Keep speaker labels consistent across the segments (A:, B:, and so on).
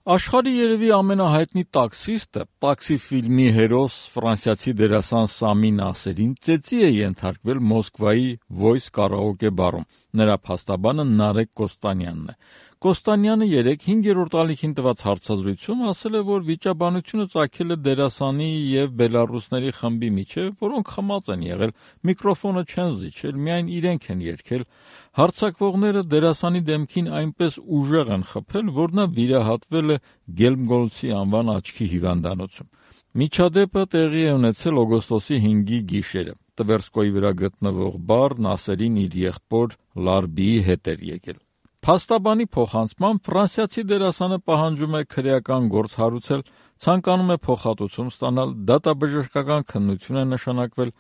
A: Աշխարհի երևի ամենահայտնի տաքսիստը, տաքսի ֆիլմի հերոս ֆրանսիացի դերասան Սամի Նասերին ծեծի է ենթարկվել Մոսկվայի Voice կարաոկե բարում։ Նրա փաստաբանը Նարեկ Կոստանյանն է։ Կոստանյանը 5-րդ ալիքին տված հարցազրույցում ասել է, որ վիճաբանությունը ծագել է դերասանի եւ բելառուսների խմբի միջեւ, որոնք խմած են եղել, միկրոֆոնը չեն զիջել, միայն իրենք են երգել։ Հարձակվողները դերասանի դեմքին այնպես ուժեղ են խփել, որ նա վիրահատվել է Գելմգոլցի անվան աչքի հիվանդանոցում։ Միջադեպը տեղի է ունեցել օգոստոսի 5-ի գիշերը։ Տվերսկոյի վրա գտնվող բար Նասերին իր եղբոր Լարբիի հետ էր եկել։ Փաստաբանի փոխանցմամբ ֆրանսիացի դերասանը պահանջում է քրեական գործ հարուցել, ցանկանում է փոխհատուցում ստանալ, դատաբժշկական քննություն է նշանակվել։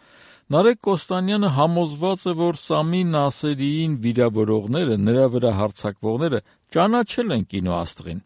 A: Նարեկ Կոստանյանը համոզված է, որ Սամի Նասերիին վիրավորողները, նրա վրա հարձակվողները ճանաչել են կինոաստղին։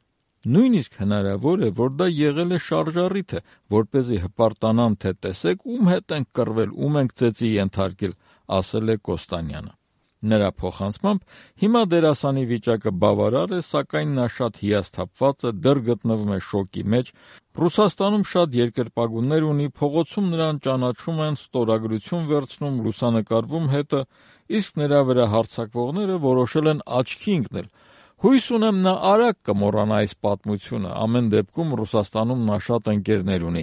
A: Նույնիսկ հնարավոր է, որ դա եղել է շարժառիթը, որպեսզի հպարտանան, թե տեսեք ում հետ ենք կռվել, ում ենք ծեծի ենթարկել, ասել է Կոստանյանը։ Նրա փոխանցմամբ հիմա դերասանի վիճակը բավարար է, սակայն նա շատ հիասթափված է, դեռ գտնվում է շոկի մեջ։ Ռուսաստանում շատ երկրպագուներ ունի, փողոցում նրան ճանաչում են, ստորագրություն վերցնում, լուսանկարվում հետը, իսկ նրա վրա հարձակվողները որոշել են աչքի ընկնել։ Հույս ունեմ նա արագ կմոռանա այս պատմությունը, ամեն դեպքում Ռուսաստանում նա շատ ընկերներ ունի,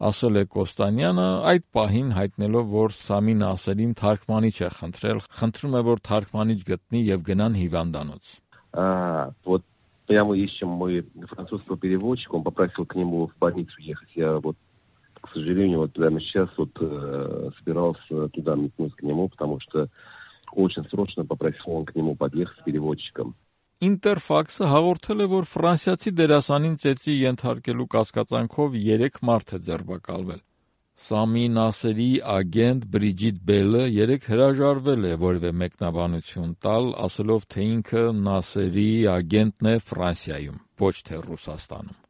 A: ասել է Կոստանյանը, այդ паհին հայտնելով, որ Սամի Նասերին թարգմանիչ է խնդրել, խնդրում է, որ թարգմանիչ գտնի եւ гнան հիվանդանոց։
B: Вот прямо ищем мы французского переводчика, он попросил к нему в больницу ехать. Я вот, к сожалению, вот прямо сейчас вот собирался туда метнуть к нему, потому что очень срочно попросил он к нему подъехать с переводчиком.
A: Ինտերֆաքսը հաղորդել է, որ ֆրանսիացի դերասանին ծեծի ենթարկելու կասկածանքով 3 մարդ է ձերբակալվել։ Սամի Նասերի ագենտ Բրիջիտ Բելը 3 հրաժարվել է որևէ մեկնաբանություն տալ, ասելով, թե ինքը Նասերի ագենտն է Ֆրանսիայում, ոչ թե Ռուսաստանում։